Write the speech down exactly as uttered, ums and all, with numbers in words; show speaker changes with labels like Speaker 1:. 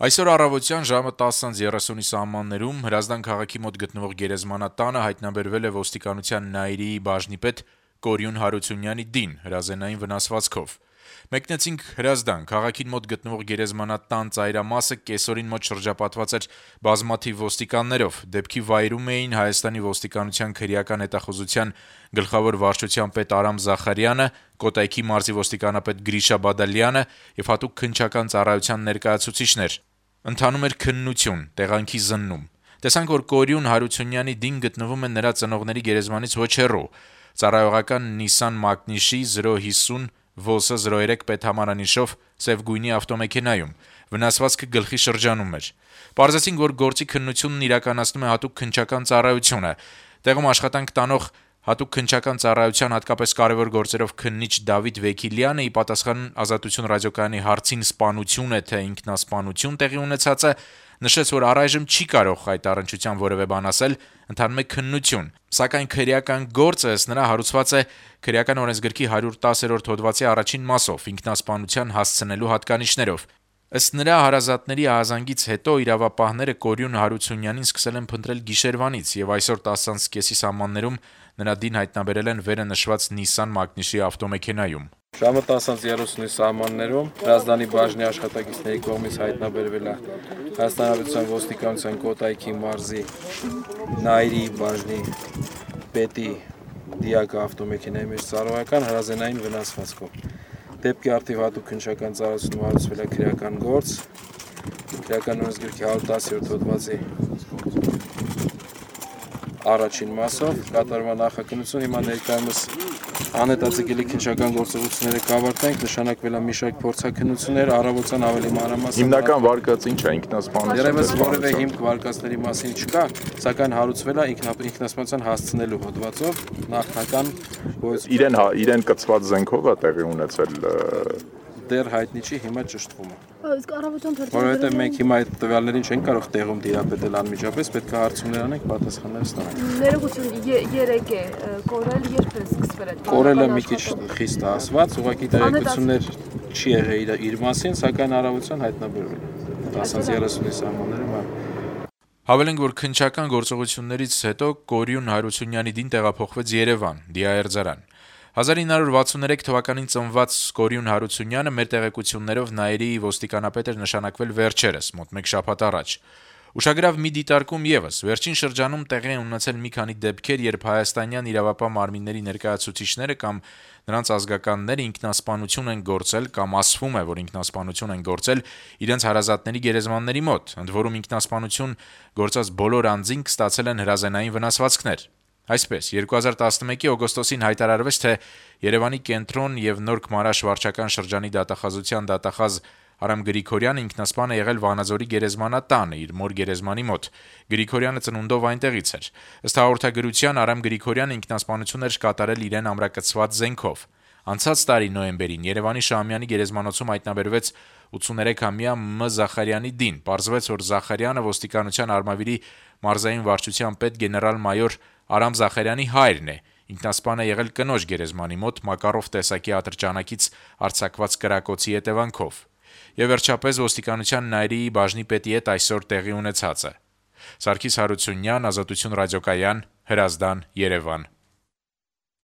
Speaker 1: Այսօր առավոտյան ժամը տասը երեսունի սահմաններում Հրազդան քաղաքի մոտ գտնվող գերեզմանատանը հայտնաբերվել է ոստիկանության Նայիրիի բաժնի պետ Կորյուն Հարությունյանի դին հրազենային վնասվածքով։ Մեկնեցինք Հրազդան, քաղաքին մոտ գտնվող գերեզմանատան ծայրամասը կեսօրին մոտ շրջապատված էր բազմաթիվ ոստիկաններով։ Դեպքի վայրում էին Հայաստանի ոստիկանության քրեական հետախուզության գլխավոր վարչության պետ Արամ Զախարյանը, Կոտայքի մարզի ոստիկանապետ Գրիշա Բադալյանը եւ հատուկ քննչական ծառայության ներկայացուցիչներ։ Ընթանում էր քննություն, տեղանքի զննում։ Տեսանք, որ Կորյուն Հարությունյանի դին գտնվում է նրա ծնողների գերեզմանից ոչ հեռու։ Ծառայողական Nissan Magnishի զրո հիսուն Vosa զրո երեք պետհամարանիշով սև գույնի ավտոմեքենայում։ Վնասվածքը գլխի շրջանում էր։ Պարզեցինք, որ գործի քննությունն իրականացնում է հատուկ քննչական ծառայությունը։ Տեղում աշխատանք տանող հատուկ քննչական ծառայության հատկապես կարևոր գործերով քննիչ Դավիթ Վեքիլյանը ի պատասխան Ազատություն ռադիոկայանի հարցին սպանություն է թե ինքնասպանություն տեղի ունեցածը նշեց, որ առայժմ չի կարող այդ առնչությամբ որևէ բան ասել, ընթանում է քննություն։ Սակայն քրեական գործը ըստ նրա հարուցված է քրեական օրենսգրքի հարյուր տասերորդ հոդվածի առաջին մասով ինքնասպանության հասցնելու հատկանիշներով։ Ըստ նրա հարազատների ահազանգից հետո իրավապահները Կորյուն Հարությունյանին սկսել են փնտրել գիշերվանից եւ այսօր տասը կեսի սահմաններում նրա դին հայտնաբերել են վերը նշված Nissan Magnishի ավտոմեքենայում։
Speaker 2: Ժամը տասը երեսունի սահմաններում Հրազդանի բաժնի աշխատակիցների կողմից հայտնաբերվել է Հայաստանի Հանրապետության ոստիկանության Կոտայքի մարզի Նայիրիի բաժնի պետի դիակը ավտոմեքենայի մեջ ծառայական հրազենային վնասվածքով։ Դեպքի արդիվ հատուկ քննչական ծառայությունում հարուցվել է քրեական գործ, քրեական օրենսգրքի հարյուր տասերորդ հոդվածի առաջին մասով կատարման նախաքննություն հիմա ներկայումս անհետաձգելի քննչական գործողությունները կավարտենք, նշանակվել է մի շարք փորձաքննություններ, առավոտյան ավելի մանրամասն
Speaker 3: հիմնական վարկած ինչ է ինքնասպանություն։
Speaker 2: Երևս որևէ հիմք վարկածների մասին չկա, սակայն հարուցվել է ինքնասպանության հասցնելու հոդվածով նախնական
Speaker 3: իրեն իրեն կցված զենքով է տեղի ունեցել
Speaker 2: դեռ հայտնի չի հիմա ճշտվում է։
Speaker 4: Իսկ առավոտյան
Speaker 2: Որովհետև մենք հիմա այդ տվյալներին չենք կարող տեղում դիապետել անմիջապես, պետք է հարցումներ անենք, պատասխաններ ստանանք։
Speaker 4: Ներողություն, երեք է կորել, երբ է սկսվել այդ։
Speaker 2: Կորելը մի քիչ խիստ է ասված, ուղղակի տեղեկություններ չի եղել իր մասին, սակայն առավոտյան հայտնաբերվել է տասը երեսունի սահմաններում։
Speaker 1: Հավելենք, որ քննչական գործողություններից հետո Կորյուն Հարությունյանի դին տեղափոխվեց Երևան, Դիաերձարան։ հազար ինը հարյուր վաթսուններեք թվականին ծնված Կորյուն Հարությունյանը մեր տեղեկություններով Նայիրիի ոստիկանապետ էր նշանակվել վերջերս, մոտ մեկ շաբաթ առաջ։ Ուշագրավ մի դիտարկում եւս, վերջին շրջանում տեղի են ունեցել մի քանի դեպքեր, երբ հայաստանյան իրավապահ մարմինների ներկայացուցիչները կամ նրանց ազգականները ինքնասպանություն են գործել կամ ասվում է, որ ինքնասպանություն են գործել իրենց հարազատների գերեզմանների մոտ, ընդ որում ինքնասպանություն գործած բոլոր անձինք ստացել են հրազենային վնասվածքներ։ Այսպես, երկու հազար տասնմեկի օգոստոսին հայտարարվեց, թե Երևանի կենտրոն եւ Նորք Մարաշ վարչական շրջանի դատախազության դատախազ Արամ Գրիգորյանը ինքնասպան է եղել Վանաձորի գերեզմանատանը իր մոր գերեզմանի մոտ։ Գրիգորյանը ծնունդով այնտեղից էր։ Ըստ հաղորդագրության Արամ Գրիգորյանը ինքնասպանություն էր կատարել իրեն ամրակցված զենքով։ Անցած տարի նոյեմբերին Երևանի Շահումյանի գերեզմանոցում հայտնաբերվեց ութսուներեքամյա Մ Զախարյանի դին։ Պարզվեց, որ Զախարյանը ոստիկանության Արմավիրի մարզային վարչության պետ գեներալ-մայոր Արամ Զախարյանի հայրն է։ Ինքնասպան է եղել կնոջ գերեզմանի մոտ Մակարով տեսակի ատրճանակից արձակված կրակոցի հետևանքով։ Եվ վերջապես ոստիկանության Նայիրիի բաժնի պետի հետ այսօր տեղի ունեցածը։ Սարգիս Հարությունյան, Ազատություն ռադիոկայան, Հրազդան, Երևան։